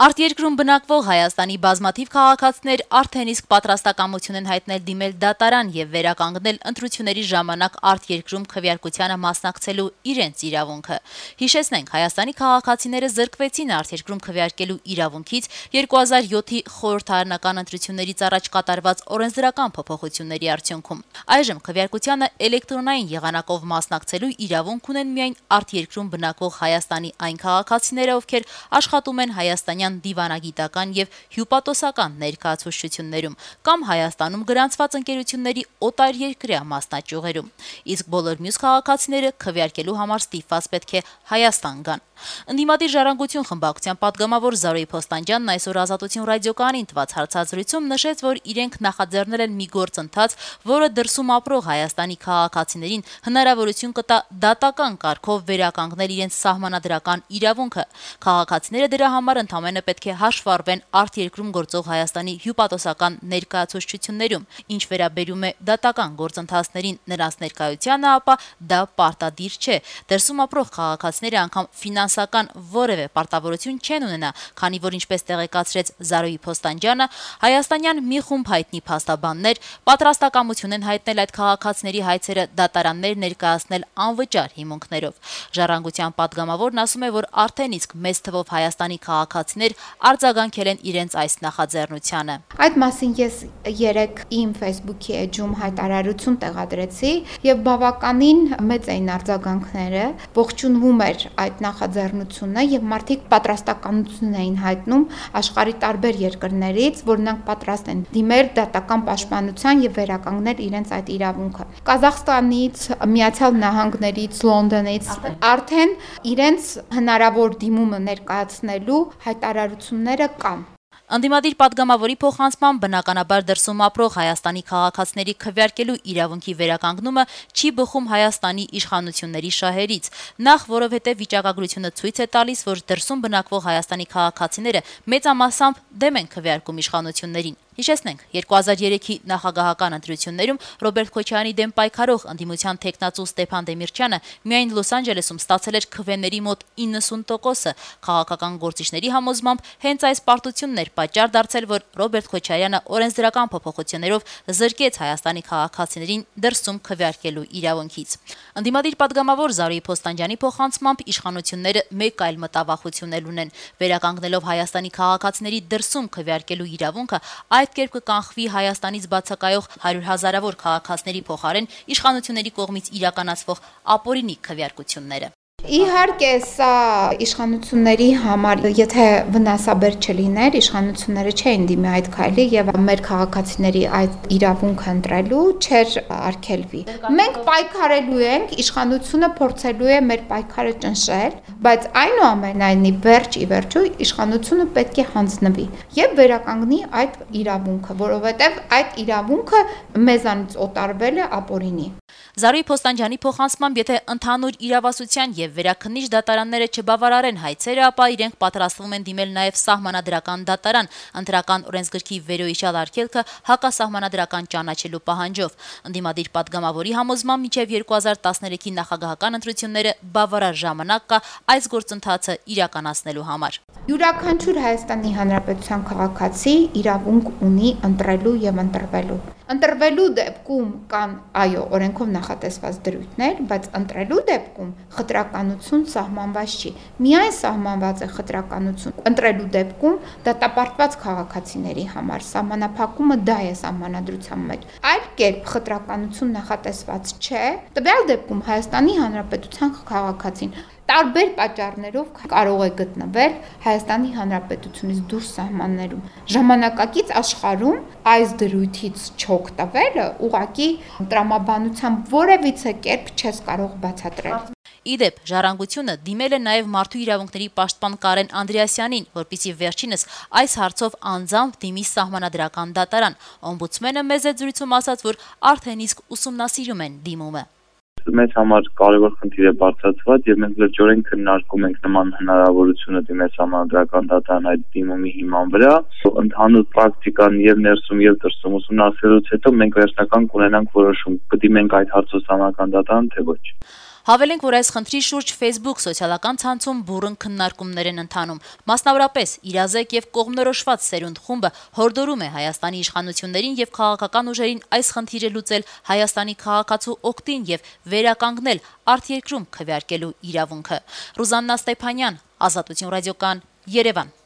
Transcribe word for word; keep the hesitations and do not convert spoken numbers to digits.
Արտերկրում բնակվող Հայաստանի բազմաթիվ քաղաքացիներ արդեն իսկ պատրաստակամություն են հայտնել դիմել դատարան եւ վերականգնել ընտրությունների ժամանակ արտերկրում քվեարկությանը մասնակցելու իրենց իրավունքը։ Հիշեցնենք, Հայաստանի քաղաքացիները զրկվեցին արտերկրում քվեարկելու իրավունքից երկու հազար յոթի խորհրդարանական ընտրություններից առաջ կատարված օրենսդրական փոփոխությունների արդյունքում։ Այժմ քվեարկությանը էլեկտրոնային եղանակով մասնակցելու իրավունք ունեն միայն արտերկրում բնակվող Հայաստանի այն քաղաքացիները, ովքեր աշխատում են հայաստանյան դիվանագիտական եւ հյուպատոսական ներկայացուցչություններում կամ Հայաստանում գրանցված ընկերությունների օտարերկրյա մասնաճյուղերում, իսկ բոլոր մյուս քաղաքացիները քվեարկելու համար ստիպված պետք է Հայաստան գան։ Ընդդիմադիր ժառանգություն խմբակցության պատգամավոր Զարուհի Փոստանջյանն այսօր Ազատություն ռադիոկայանին տված հարցազրույցում նշեց, որ իրենք նախաձեռնել են մի գործընթաց, որը դրսում ապրող Հայաստանի քաղաքացիներին հնարավորություն կտա դատական կարգով վերականգնել իրենց սահմանադրական իրավունքը։ Քաղաքացիները դրա համար ընդամենը պետք է հաշվառվեն արտերկրում գործող Հայաստանի հյուպատոսական ներկայացուցչություններում, ինչ վերաբերում է դատական գործընթացներին նրանց ներկայությանը, ապա դա պարտադիր չէ։ Դրսում ապրող քաղաքացիները անգամ ֆինանսական որևէ պարտավորություն չեն ունենա, քանի որ ինչպես տեղեկացրեց Զարուհի Փոստանջյանը, հայաստանյան մի խումբ հայտնի փաստաբաններ պատրաստակամություն են հայտնել այդ քաղաքացիների հայցերը դատարաններ ներկայացնել անվճար հիմունքներով։ Ժառանգության պատգամավորն ասում է, որ արդեն իսկ մեծ թվով Հայաստանի քաղաքացիներ արձագանքել են իրենց այս նախաձեռնությանը։ Այդ մասին ես երեք իմ Facebook-ի էջում հայտարարություն տեղադրեցի եւ բավականին մեծ էին արձագանքները, ողջունվում էր այդ նախաձեռնությունը եւ մարդիկ պատրաստակամություն էին հայտնում աշխարհի տարբեր երկրներից, որ նրանք պատրաստ են դիմել դատական պաշտպանության եւ վերականգնել իրենց այդ իրավունքը։ Կազախստանից, Միացյալ Նահանգներից, Լոնդոնից արդեն իրենց հնարավոր դիմումը ներկայացնելու հայտարարությունները կան։ Ընդդիմադիր պատգամավորի փոխանցմամբ բնականաբար դրսում ապրող Հայաստանի քաղաքացիների քվեարկելու իրավունքի վերականգնումը չի բխում Հայաստանի իշխանությունների շահերից, նախ որովհետև վիճակագրությունը ցույց է տալիս, որ դրսում բնակվող Հայաստանի քաղաքացիները մեծամասամբ դեմ են քվեարկում իշխանություններին։ Հիշեցնենք, երկու հազար երեքի նախագահական ընտրություններում Ռոբերտ Քոչարյանի դեմ պայքարող ընդդիմության թեկնածու Ստեփան Դեմիրճյանը միայն Լոս Անջելեսում ստացել էր քվեների մոտ իննսուն տոկոսը։ Քաղաքական գործիչների համոզմամբ հենց այս պարտությունն էր պատճառ դարձել, որ Ռոբերտ Քոչարյանը օրենսդրական փոփոխություններով զրկեց Հայաստանի քաղաքացիներին դրսում քվեարկելու իրավունքից։ Ընդդիմադիր պատգամավոր Զարուհի Փոստանջյանի փոխանցմամբ իշխանությունները մեկ այլ մտավախություն էլ ունեն, վերականգնելով Հայաստանի քաղաքացիների դրսում քվեարկելու իրավունքը, այդ կերպ կկանխվի Հայաստանից բացակայող հարյուր հազարավոր քաղաքացիների փոխարեն իշխանությունների կողմից իրականացվող ապօրինի քվեարկությունները։ Իհարկե, սա իշխանությունների համար, եթե վնասաբեր չլիներ, իշխանությունները չէին դիմի այդ քայլի եւ մեր քաղաքացիների այդ իրավունքը ընտրելու չէր արգելվի։ Մենք պայքարելու ենք, իշխանությունը փորձելու է մեր պայքարը ճնշել, բայց այնուամենայնիվ վերջ ի վերջո իշխանությունը պետք է հանձնվի եւ վերականգնի այդ իրավունքը, որովհետեւ այդ իրավունքը մեզանից օտարվել է ապօրինի։ Զարուհի Փոստանջյանի փոխանցմամբ, եթե ընդհանուր իրավասության եւ վերաքննիչ դատարանները չբավարարեն հայցերը, ապա իրենք պատրաստվում են դիմել նաեւ սահմանադրական դատարան, ընտրական օրենսգրքի վերոհիշյալ արգելքը հակասահմանադրական ճանաչելու պահանջով։ Ընդդիմադիր պատգամավորի համոզմամբ մինչեւ երկու հազար տասներեքի նախագահական ընտրությունները բավարար ժամանակ կա այս գործընթացը իրականացնելու համար։ Յուրաքանչյուր Հայաստանի Հանրապետության քաղաքացի իրավունք ունի ընտրելու եւ ընտրվելու։ Ընտրվելու դեպքում կան, այո, օրենքով նախատեսված դրույթներ, բայց ընտրելու դեպքում խտրականություն սահմանված չի։ Միայն սահմանված է խտրականություն ընտրելու դեպքում դատապարտված քաղաքացիների համար սահմանափակումը դա է սահմանադրության մեջ։ Այլ կերպ խտրականություն նախատեսված չէ։ Տվյալ դեպքում Հայաստանի Հանրապետության քաղաքացին տարբեր պատճառներով կարող է գտնվել Հայաստանի Հանրապետությունից դուրս սահմաններում։ Ժամանակակից աշխարհում այս դրույթից չօգտվելը ուղղակի տրամաբանությամբ որևիցե կերպ չես կարող բացատրել։ Իդեպ, ժառանգությունը դիմել է նաև մարդու իրավունքների պաշտպան Կարեն Անդրեասյանին, որպեսզի վերջինս այս հարցով անձամբ դիմի սահմանադրական դատարան։ Օմբուդսմենը մեծ զրույցում ասաց, որ արդեն իսկ ուսումնասիրում են դիմումը։ Մեզ համար կարևոր խնդիր է բարձրացված եւ մենք լրջորեն քննարկում ենք նման հնարավորությունը դիմել սահմանադրական դատարան այդ դիմումի հիման վրա։ Ընդհանուր պրակտիկան եւ ներսում եւ դրսում ուսումնասիրելուց հետո մենք վերջնական կունենանք որոշում՝ կդիմենք այդ հարցով սահմանադրական դատարան, թե ոչ։ Հավելենք, որ այս խնդրի շուրջ Facebook սոցիալական ցանցում բուռն քննարկումներ են ընթանում։ Մասնավորապես իրազեկ եւ կողմնորոշված սերունդ խումբը հորդորում է Հայաստանի իշխանություններին եւ քաղաքական ուժերին այս խնդիրը լուծել Հայաստանի քաղաքացու օգտին եւ վերականգնել արտերկրում քվեարկելու իրավունքը։ Ռուզաննա Ստեփանյան, Ազատություն ռադիոկան, Երևան։